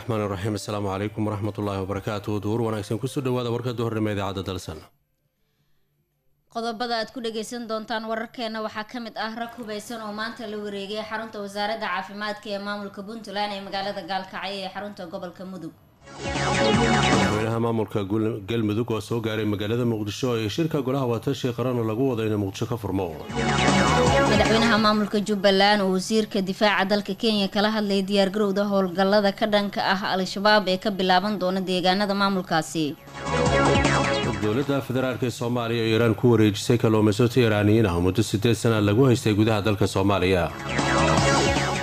Raxmaan raxiim. Assalaamu calaykum waraxmatullaahi wabarakaatu. Duhur wanaagsan, kusoo dhawaada warka duhurnimo idaacadda Dalsan. Qodobada aad ku dhageysan doontaan wararkeena waxaa ka mid ah rag hubeysan oo maanta la wareegay xarunta wasaaradda caafimaadka ee maamulka Puntland ee magaalada Gaalkacyo ee xarunta gobolka Mudug. Madaxweynaha maamulka Galmudug oo soo gaaray magaalada Muqdisho ee shirka golaha watashi qaran oo lagu wado inay Muqdisho ka furmo. Madaxweynaha maamulka Jubbaland oo wasiirka difaaca dalka Kenya kala hadlay diyaargarowda howlgallada ka dhanka ah Al-Shabaab ee ka bilaaban doona deegaanada maamulkaasi. Dowladda federaalk ee Soomaaliya oo Iiraan ku wareejisay kalluumaysato Iiraaniyiin ah muddo 8 sana lagu haystay gudaha dalka Soomaaliya.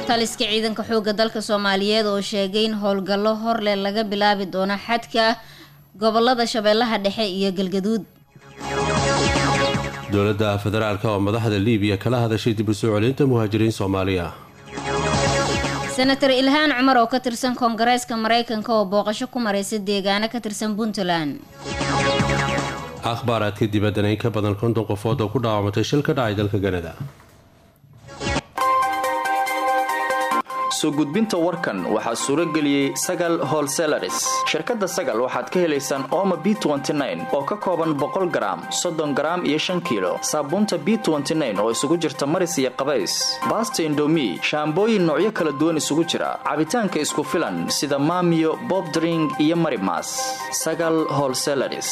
Taliska ciidanka xoogga dalka Soomaaliyeed oo sheegay in howlgallo horleh laga bilaabi doono xadka gobolada Shabeellaha Dhexe iyo Galgaduud. Dowladda federaalk oo madaxda Liibiya kala hadashay dib u soo celinta muhaajiriin Soomaaliya. Senator Ilhaan Cumar oo ka tirsan Koongareeska Mareykanka oo booqasho ku mareysa deegaano ka tirsan Puntland. Akhbaaraadka dibaddana, in ka badan 50 qofood oo ku dhaawacmatay shil ka dhacay dalka Kanada. Soo gudbinta warkan waxaa suuro geliyey Sagal Wholesalers. Shirkadda Sagal waxaad ka helaysaan Ooma B oo ka kooban 100 garaam, 30 garaam iyo 5 kiilo, saabuunta B oo isugu jirta maris iyo qabays, baasta Indomi shaambooyin noocyo kala duwan isugu jira, cabitaanka isku filan sida Maamiyo Bobdring iyo Marimas. Sagal Wholesalers.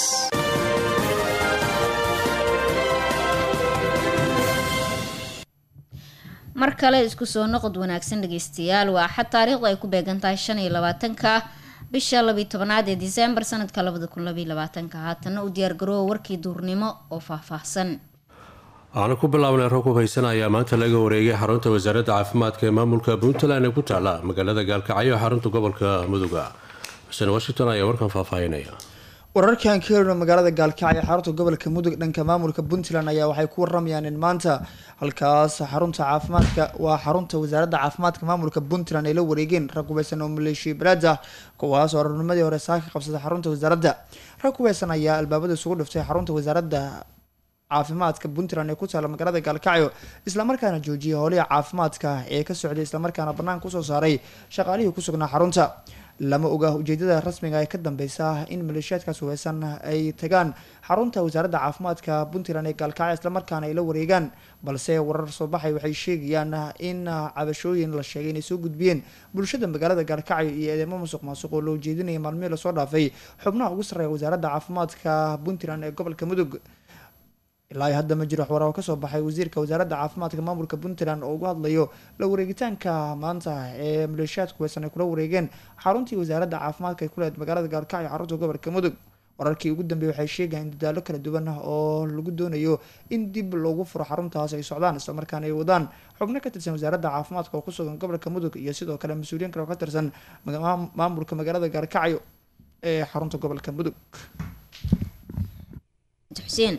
Mar kale isku soo noqod wanaagsan, dhageystayaal. Waa Axad, taariikhdu ay ku beegan tahay 25-ka bisha 12aad ee Disembar sanadka 2022-ka. Haatana u diyaargaroowa warkii duurnimo oo faahfaahsan. Waxaanu ku bilaabnay, rag hubeysan ayaa maanta laga wareegay xarunta wasaaradda caafimaadka ee maamulka Puntland ee ku taala magaalada Gaalkacyo, xarunta gobolka Muduga. Xuseen Washington ayaa warkan faahfaahinaya. Wararkan ka helno magaalada Gaalkacyo, xarunta gobolka Mudug, dhanka maamulka Puntland ayaa waxay ku waramayaan in maanta halkaas xarunta caafimaadka, waa xarunta wasaaradda caafimaadka maamulka Puntland, ay la wareegeen rag hubeysan oo maleeshiya balaad ah, kuwaas oo aroornimadii hore saaka qabsaday xarunta wasaaradda. Rag hubeysan ayaa albaabada isugu dhiftay xarunta wasaaradda caafimaadka Puntland ee ku taala magaalada Gaalkacyo, islamarkaana joojiyay howlihii caafimaadka ee ka socday, islamarkaana banaanka usoo saaray shaqaalihii ku sugnaa xarunta. Lama oga ujeedada rasmiga ee ka dambeysa in maleeshiyaadkaas hubeysan ay tagaan xarunta wasaaradda caafimaadka Puntland ee Gaalkacyo, islamarkaana ay la wareegaan, balse warar soo baxay waxay sheegayaan in cabashooyin la sheegay inay soo gudbiyeen bulshada magaalada Gaalkacyo iyo eedeymo musuq maasuq oo loo jeedinaya maalmihii lasoo dhaafay xubnaha ugu sarreeya wasaaradda caafimaadka Puntland ee gobolka Mudug. Ilaa hadda ma jiro wax war oo kasoo baxay wasiirka wasaaradda caafimaadka maamulka Puntland oo ugu hadlayo la wareegitaanka maanta ee maleeshiyaadku hubeysan ay kula wareegeen xaruntii wasaaradda caafimaadka ay ku leedahay magaalada Gaalkacyo, xarunta gobolka Mudug. Wararkii ugu dambeeyay waxay sheegayaan in dadaalo kala duwan oo lagu doonayo in dib loogu furo xaruntaas ay socdaan, islamarkaana ay wadaan xubno ka tirsan wasaaradda caafimaadka oo kusugan gobolka Mudug iyo sidoo kale mas-uuliyiin kale oo ka tirsan maamulka magaalada Gaalkacyo ee xarunta gobolka Mudug. Xuseen,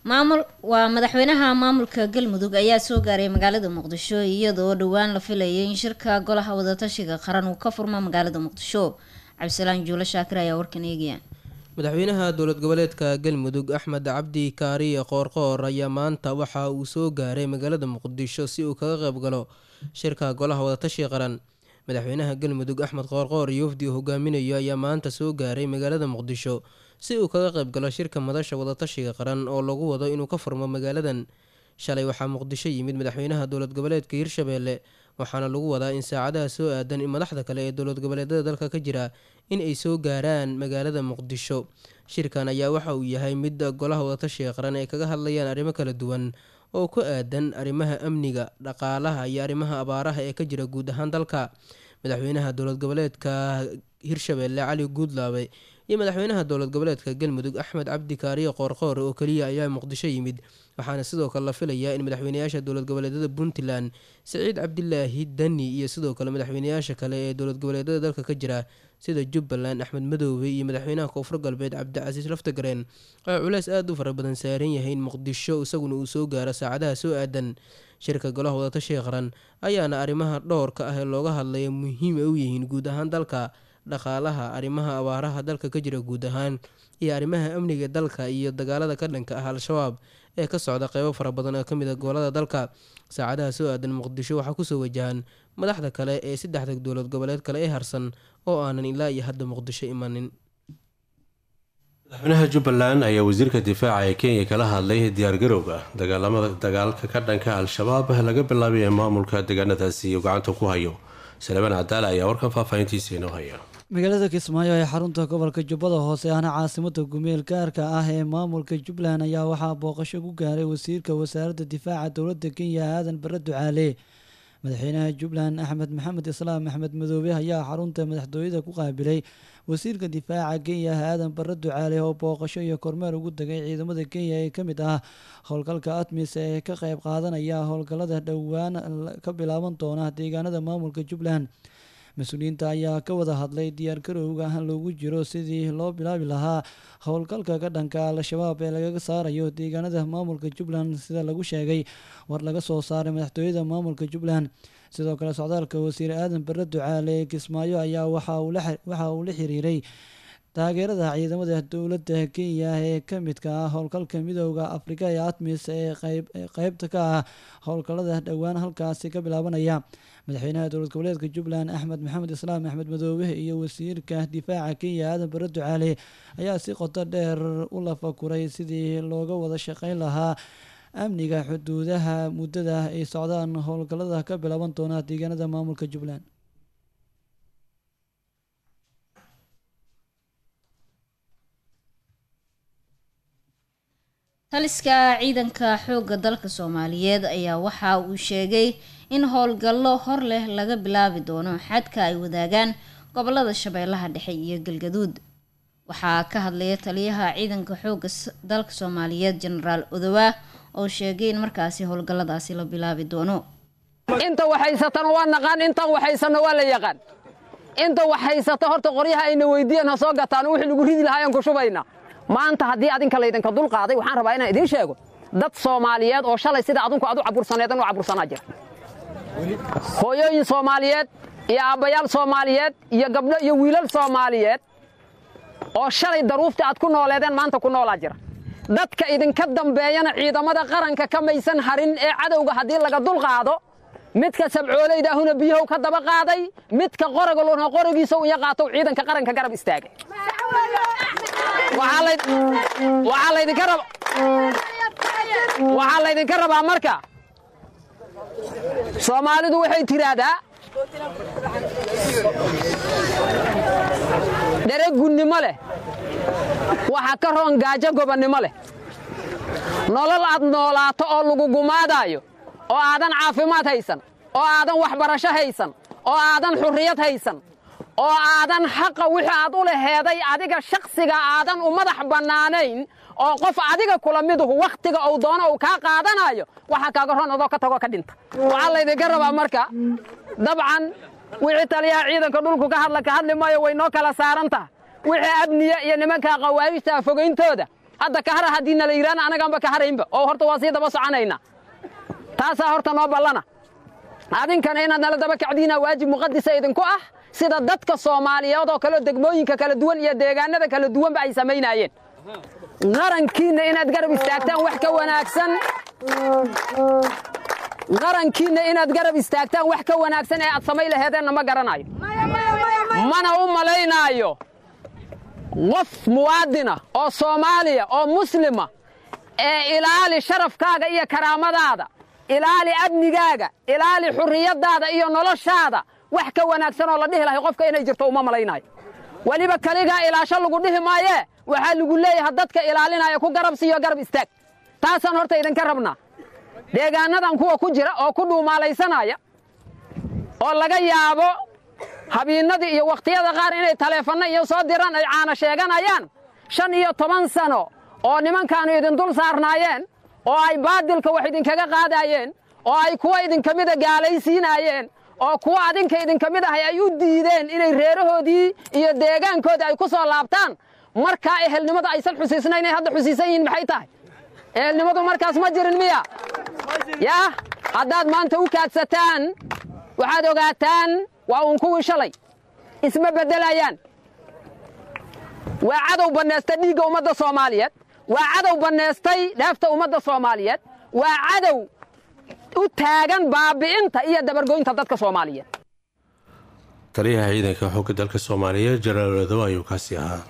maamul waa madaxweynaha maamulka Galmudug ayaa soo gaaray magaalada Muqdisho, iyadoo dhowaan la filayay in shirka golaha wadatashiga qaran uu ka furmo magaalada Muqdisho. Cabdisalaan Juulo Shaakir ayaa warkan eegaya. Madaxweynaha dowlad goboleedka Galmudug, Axmed Cabdi Kaariye Qoorqoor, ayaa maanta waxa uu soo gaaray magaalada Muqdisho si uu kaga qayb galo shirka golaha wadatashiga qaran. Madaxweynaha Galmudug, Axmed Qoorqoor, iyo wafdi uu hogaaminayo ayaa maanta soo gaaray magaalada Muqdisho si uu kaga qayb galo shirka madasha wadatashiga qaran oo lagu wado inuu ka furmo magaaladan. Shalay waxaa Muqdisho yimid madaxweynaha dowlad goboleedka Hirshabeelle, waxaana lagu wadaa in saacadaha soo aadan in madaxda kale ee dowlad goboleedyada dalka ka jira in ay soo gaaraan magaalada Muqdisho. Shirkan ayaa waxa uu yahay mid golaha wadatashiga qaran ay kaga hadlayaan arrimo kala duwan oo ku aadan arrimaha amniga, dhaqaalaha iyo arrimaha abaaraha ee ka jira guud ahaan dalka. Madaxweynaha dowlad goboleedka Hirshabeelle, Cali Guudlaabe, iyo madaxweynaha dowlad goboleedka Galmudug, Axmed Cabdi Kaariye Qoorqoor, oo keliya ayaa Muqdisho yimid, waxaana sidoo kale la filayaa in madaxweynayaasha dowlad goboleedyada Puntland, Siciid Cabdilaahi Dani, iyo sidoo kale madaxweynayaasha kale ee dowlad goboleedyada dalka ka jira sida Jubbaland, Axmed Madoobe, iyo madaxweynaha Koonfur Galbeed, Cabdicasiis Laftagareen, oo culeys aada u fara badan saaran yahay in Muqdisho isaguna uu soo gaaro saacadaha soo aadan. Shirka golaha wadatashiga qaran ayaana arrimaha dhowrka ah ee looga hadlaya muhiim ay u yihiin guud ahaan dalka: dhaqaalaha, arrimaha abaaraha dalka ka jira guud ahaan, iyo arrimaha amniga dalka iyo dagaalada ka dhanka ah Al-Shabaab ee ka socda qeybo fara badan oo kamid ah gobolada dalka. Saacadaha soo aadan Muqdisho waxaa kusoo wajahan Madaxda kale ee saddexda dowlad goboleed kale ee harsan oo aanan ilaa iyo hadda Muqdisho imanin. Madaxweynaha Jubbaland ayaa wasiirka difaaca ee Kenya kala hadlay diyaargarowga dagaalamada dagaalka ka dhanka Al-Shabaab laga bilaabay ee maamulka deegaanadaasi uu gacanta ku hayo. Salebaan Cadaala ayaa warkan faahfaahintiisa inoo haya. Magaalada Kismaayo ee xarunta gobolka Jubbada Hoose, ahna caasimada gumeel gaarka ah ee maamulka Jubbaland, ayaa waxaa booqasho ku gaaray wasiirka wasaaradda difaaca dowladda Kenya, Aadan Bare Ducaale. Madaxweynaha Jubbaland, Axmed Maxamed Islaam Axmed Madoobe, ayaa xarunta madaxtooyada ku qaabilay wasiirka difaaca Kenya, Aadan Bare Ducaale, oo booqasho iyo kormeer ugu tagay ciidamada Kenya ee kamid ah howlgalka ATMIS ee ka qeyb qaadanaya howlgalada dhowaan ka bilaaban doona deegaanada maamulka Jubbaland. Mas-uuliyiinta ayaa ka wada hadlay diyaargarowga loogu jiro sidii loo bilaabi lahaa howlgalka ka dhanka Al-Shabaab ee lagaga saarayo deegaanada maamulka Jubbaland, sida lagu sheegay war laga soo saaray madaxtooyada maamulka Jubbaland. Sidoo kale, socdaalka wasiir Aadan Bare Ducaale ee Kismaayo ayaa waxa uu la xiriiray taageerada ciidamada dowladda Kenya ee ka midka ah howlgalka Midooda Afrika ee ATMIS ee qeybta ka ah howlgalada dhowaan halkaasi ka bilaabanaya. Madaxweynaha dowlad goboleedka Jubbaland, Axmed Maxamed Islaam Axmed Madoobe, iyo wasiirka difaaca Kenya, Aadan Bare Ducaale, ayaa si qoto dheer u lafakuray sidii looga wada shaqeyn lahaa amniga xuduudaha muddada ay socdaan howlgalada ka bilaaban doona deegaanada maamulka Jubbaland. Taliska ciidanka xoogga dalka Soomaaliyeed ayaa waxa uu sheegay in howlgallo hor leh laga bilaabi doono xadka ay wadaagaan gobolada Shabeellaha Dhexe iyo Galgaduud. Waxaa ka hadlaya taliyaha ciidanka xoogga dalka Soomaaliyeed, Jenaraal Odowa, oo sheegay in markaasi howlgalladaasi la bilaabi doono. Inta waxhaysatan waa naqaan, intan waxhaysanno waa la yaqaan. Inta waxhaysato horta qoryaha ayna weydiiyeen ha soo gataan, wixii lagu ridi lahaa ayaan ku shubayna. Maanta haddii adinka laydinka dul qaaday, waxaan rabaa inaan idiin sheego dad Soomaaliyeed oo shalay sida adinku aad u cabursaneedan u cabursanaa jira. Hooyooyin Soomaaliyeed iyo aabbayaal Soomaaliyeed iyo gabdho iyo wiilal Soomaaliyeed oo shalay daruufta aad ku nooleedeen maanta ku noolaa jira. Dadka idinka dambeeyana ciidamada qaranka ka maysan harin ee cadowga haddii laga dul qaado, midka sabcoolayda ahuna biyahow ka daba qaaday, midka qoraga luna qoragiisa u qaato ciidanka qaranka garab istaagay. Waxaa laydinka rabaa marka, Soomaalidu waxay tidhaahdaa dhereg gunnimo leh waxa ka roon gaajo gobonnimo leh. Nolol aad noolaato oo lagu gumaadaayo oo aadan caafimaad haysan oo aadan waxbarasho haysan oo aadan xurriyad haysan oo aadan xaqa wixii aad u laheeday adiga shakhsiga aadan u madax bannaanayn oo qof adiga kula miduhu wakhtiga uu doono uu kaa qaadanayo, waxaa kaaga roon adoo ka tagoo ka dhinta. Waxaa laydinka rabaa marka, dabcan wixii taliyaha ciidanka dhulku ka hadla ka hadli maayo, way noo kala saaran taha. Wixii amniya iyo nimanka qawaa'ijta fogayntooda hadda ka hara haddii nala yidhaana, anagaanba ka haraynba oo horta waa sii daba soconaynaa. Taasaa horta noo ballana. Adinkana inaad nala daba kacdiina waajib muqadisa idinku ah, sida dadka Soomaaliyeed oo kale degmooyinka kala duwan iyo deegaanada kala duwanba ay samaynaayeen. Qarankiinna inaad garab istaagtaan wax ka wanaagsan, qarankiinna inaad garab istaagtaan wax ka wanaagsan ee aad samay laheedeenna ma garanayo, mana u malaynaayo qof muwaadina oo Soomaaliya oo muslima ee ilaali sharafkaaga iyo karaamadaada, ilaali amnigaaga, ilaali xurriyaddaada iyo noloshaada wax ka wanaagsan oo la dhihi lahay qofka inay jirto uma malaynayo. Weliba kaligaa ilaasho lagu dhihi maayee, waxaa lagu leeyahay dadka ilaalinaya ku garab siiyo, garab istaag. Taasaan horta idinka rabnaa. Deegaanadan kuwa ku jira oo ku dhuumaalaysanaya oo laga yaabo habiinadii iyo wakhtiyada qaar inay taleefanno iyo soo diraan ay caana sheeganayaan, 15 sano oo nimankaanu idin dul saarnaayeen oo ay baadilka wax idinkaga qaadaayeen oo ay kuwa idinka mida gaalaysiinaayeen oo kuwa adinka idinka mid ahay ay u diideen inay reerahoodii iyo deegaankoodii ay ku soo laabtaan, markaa ehelnimada aysan xusiisnayn ay hadda xusiisan yihiin maxay tahay? Ehelnimadu markaas ma jirin miya? Yaa haddaad maanta u kaadsataan, waxaad ogaataan waa uun kuwii shalay, isma beddelayaan. Waa cadow bannaystay dhiigga ummadda Soomaaliyeed, waa cadow bannaystay dheefta ummadda Soomaaliyeed, waa cadow u taagan baabi'inta iyo dabargoynta dadka Soomaaliyeed. Taliyaha ciidanka xoogga dalka Soomaaliya Jenaraal Odowa ayuu kaasi ahaa.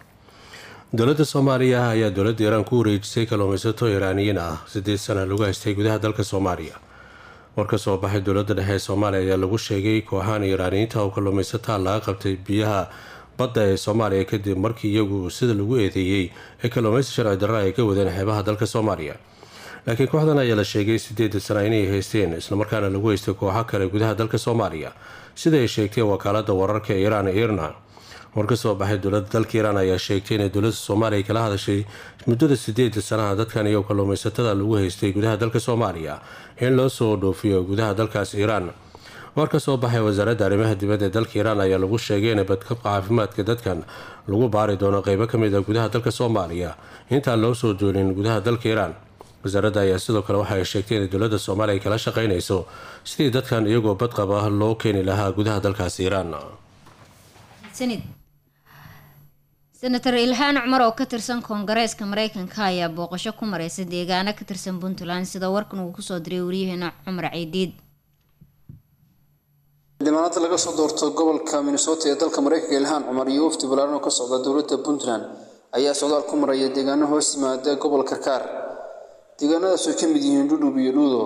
Dowladda Soomaaliya ayaa dowladda Iiraan ku wareejisay kalluumaysato Iiraaniyiin ah 8 sana lagu haystay gudaha dalka Soomaaliya. War ka soo baxay dowladda dhexe ee Soomaaliya ayaa lagu sheegay kooxahan Iiraaniyiinta oo kalluumaysataa laga qabtay biyaha badda ee Soomaaliya kadib markii iyagu sida lagu eedeeyey ee kalluumaysi sharci darra ay ka wadeen xeebaha dalka Soomaaliya. Laakiin kooxdan ayaa la sheegay 8 sana inay haysteen, islamarkaana lagu haystay kooxo kale gudaha dalka Soomaaliya, sida ay sheegtay wakaalada wararka Iiraan IRNA. War ka soo baxay dowladda dalka Iiraan ayaa sheegtay inay dowladda Soomaaliya kala hadashay muddada 8 sanaha dadkan iyo kalluumaysatada lagu haystay gudaha dalka Soomaaliya in loo soo dhoofiyo gudaha dalkaas Iiraan. War ka soo baxay wasaaradda arrimaha dibadda ee dalka Iiraan ayaa lagu sheegay in badqabka caafimaadka dadkan lagu baari doono qeybo ka mid ah gudaha dalka Soomaaliya intaan loo soo duulin gudaha dalka Iiraan. Wasaaradda ayaa sidoo kale waxa ay sheegtay inay dowladda Soomaaliya kala shaqeynayso sidii dadkan iyagoo badqab ah loo keeni lahaa gudaha dalkaas Iiraan. Sanid Senator Ilhaan Cumar oo ka tirsan Koongareeska Mareykanka ayaa booqasho ku mareysa deegaano ka tirsan Puntland, sida warkan uu kusoo diray wariyaheena Cumar Ciidiid. Xildhibaanada laga soo doorto gobolka Minnesota ee dalka Mareykanka Ilhaan Cumar iyo wafdi ballaaran oo ka socda dowladda Puntland ayaa socdaal ku maraya deegaano hoos yimaada gobolka Karkaar. Deegaanadaas oo ka mid yihiin Dhudhub iyo Dhuudo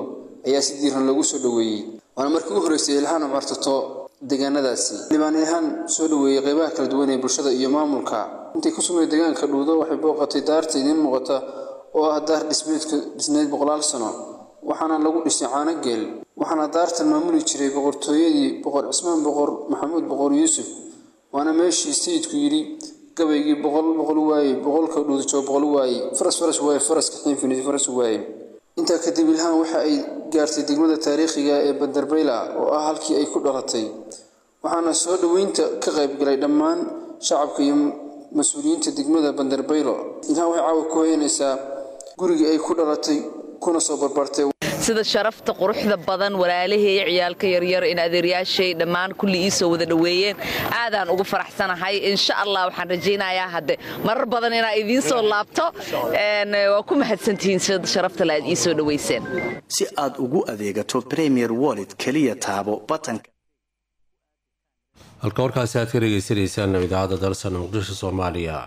ayaa si diiran loogu soo dhoweeyey, waana markii u horreysay Ilhaan Cumar tagto deegaanadaasi. Xildhibaan Ilhaan soo dhoweeyey qeybaha kala duwan ee bulshada iyo maamulka. Intay ku sugnayd deegaanka Dhuudo waxay booqatay daarta idiin muuqata oo ah daar dhismeedka dhisneyd boqolaal sano, waxaana lagu dhisay caano geel, waxaana daartan maamuli jiray boqortooyadii Boqor Cismaan, Boqor Maxamuud, Boqor Yuusuf, waana meeshii sayidku yidhi gabaygii boqol boqol waaye, boqolka Dhuudo boqol waaye, faras faras waaye, faraska xiinfinis faras waaye. Intaa kadib Ilhaan waxa ay gaartay degmada taariikhiga ee Bandarbayla oo ah halkii ay ku dhalatay, waxaana soo dhoweynta ka qayb galay dhammaan shacabka iyo mas-uuliyiinta degmada Bandarbaylo. Ilhaan waxay caawa ku hoyanaysaa gurigii ay ku dhalatay kuna soo barbartay. Sida sharafta quruxda badan walaalahey, ciyaalka yaryar, in adeeryaashay dhammaan kulli ii soo wada dhoweeyeen, aadaan ugu faraxsanahay. Insha Allah waxaan rajaynayaa hadde marar badan inaa idiin soo laabto. Waa ku mahadsantihiin sida sharafta le aad ii soo dhoweyseen. Si aad ugu adeegato Premier Wallet, keliya taabo batanka. Halka warkaasi aad ka dhegeysanaysaan idaacadda Dalsan, Muqdisho, Soomaaliya.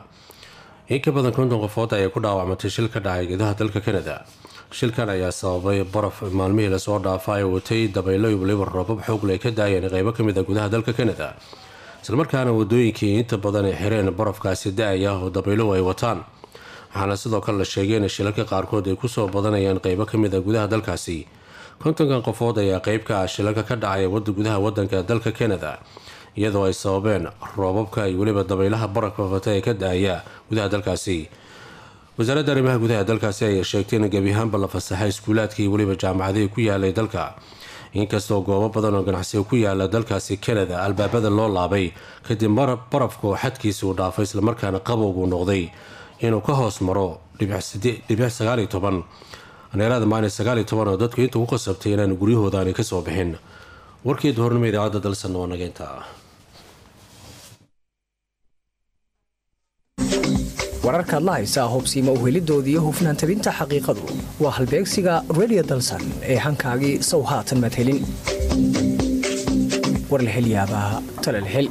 In ka badan 50 qofood ayaa ku dhaawacmatay shil ka dhacay gudaha dalka Canada. Shilkan ayaa sababay baraf maalmihii lasoo dhaafa ay watay dabaylo iyo waliba roobab xoogle ay ka daayeen qeybo ka mid a gudaha dalka Canada, islamarkaana wadooyinkii inta badan ay xireen barafkaasi da-aya oo dabayluhu ay wataan. Waxaana sidoo kale la sheegay in shilalka qaarkood ay kusoo badanayaan qeybo ka mid a gudaha dalkaasi. 50-kan qofood ayaa qeyb ka ah shilalka ka dhacaya wada gudaha wadanka dalka Canada, iyadoo ay sababeen roobabka iyo weliba dabaylaha barafka fata ee ka da-aya gudaha dalkaasi. Wasaaradda arrimaha gudaha dalkaasi ayaa sheegtay in gebi ahaanba la fasaxay iskuulaadkii iyo weliba jaamacadihii ku yaalay dalka, inkastoo goobo badan oo ganacsiga ku yaala dalkaasi Canada albaabada loo laabay kadib barafka oo xadkiisa uu dhaafay, islamarkaana qabowgu noqday inuu ka hoos maro 0.19 aneerada maalin 19, oo dadku inta ku qasabtay inaan guryahooda aanay kasoo bixin. Warkii duhurnimo idaacadda Dalsan waa nageynta. Wararkaad la haysaa hubsiima uhelidoodii iyo hufnaan tabinta xaqiiqadu waa halbeegsiga Radio Dalsan ee hankaagii sow haatan madhelin. War la hel yaabaa tala la hel.